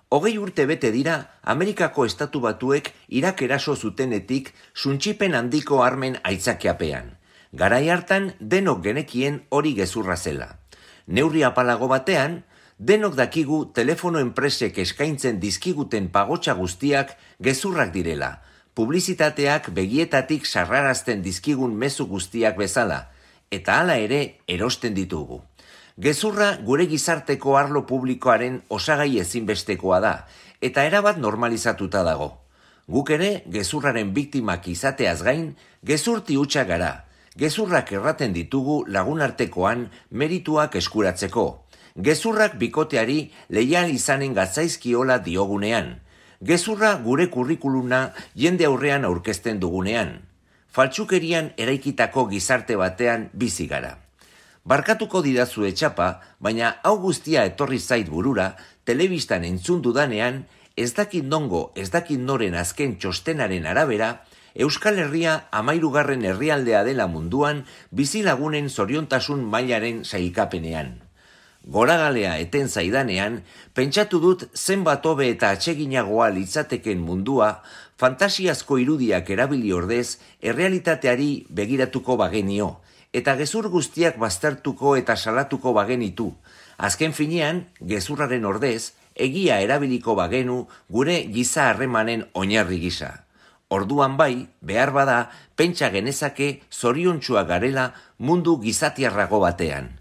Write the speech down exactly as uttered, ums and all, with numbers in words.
Hogei urte bete dira Amerikako Estatu Batuek Irak eraso zutenetik suntsipen handiko armen aitzakiapean. Garai hartan denok genekien hori gezurra zela. Neurri apalago batean, denok dakigu telefono enpresek eskaintzen dizkiguten pagotxa guztiak gezurrak direla, publizitateak begietatik sarrarazten dizkigun mezu guztiak bezala, eta hala ere erosten ditugu. Gezurra gure gizarteko arlo publikoaren osagai ezinbestekoa da, eta erabat normalizatuta dago. Guk ere, gezurraren biktimak izateaz gain, gezurti hutsa gara. Gezurrak erraten ditugu lagunartekoan merituak eskuratzeko. Gezurrak bikoteari leial izanen gatzaizkiola diogunean. Gezurra gure kurrikuluna jende aurrean aurkezten dugunean. Faltsukerian eraikitako gizarte batean bizi gara. Barkatuko didazu etxapa, baina hau guztia etorri zait burura, telebistan entzun dudanean, ez dakit nongo, ez dakit noren azken txostenaren arabera, Euskal Herria hamahirugarren herrialdea dela munduan bizilagunen zoriontasun mailaren sailkapenean. Goragalea eten zaidanean, pentsatu dut zenbat hobe eta atseginagoa litzateken mundua, fantasiazko irudiak erabili ordez, errealitateari begiratuko bagenio, eta gezur guztiak baztertuko eta salatuko bagenitu. Azken finean, gezurraren ordez, egia erabiliko bagenu gure giza harremanen oinarri gisa. Orduan bai, behar bada, pentsa genezake zoriontsuak garela mundu gizatiarrago batean.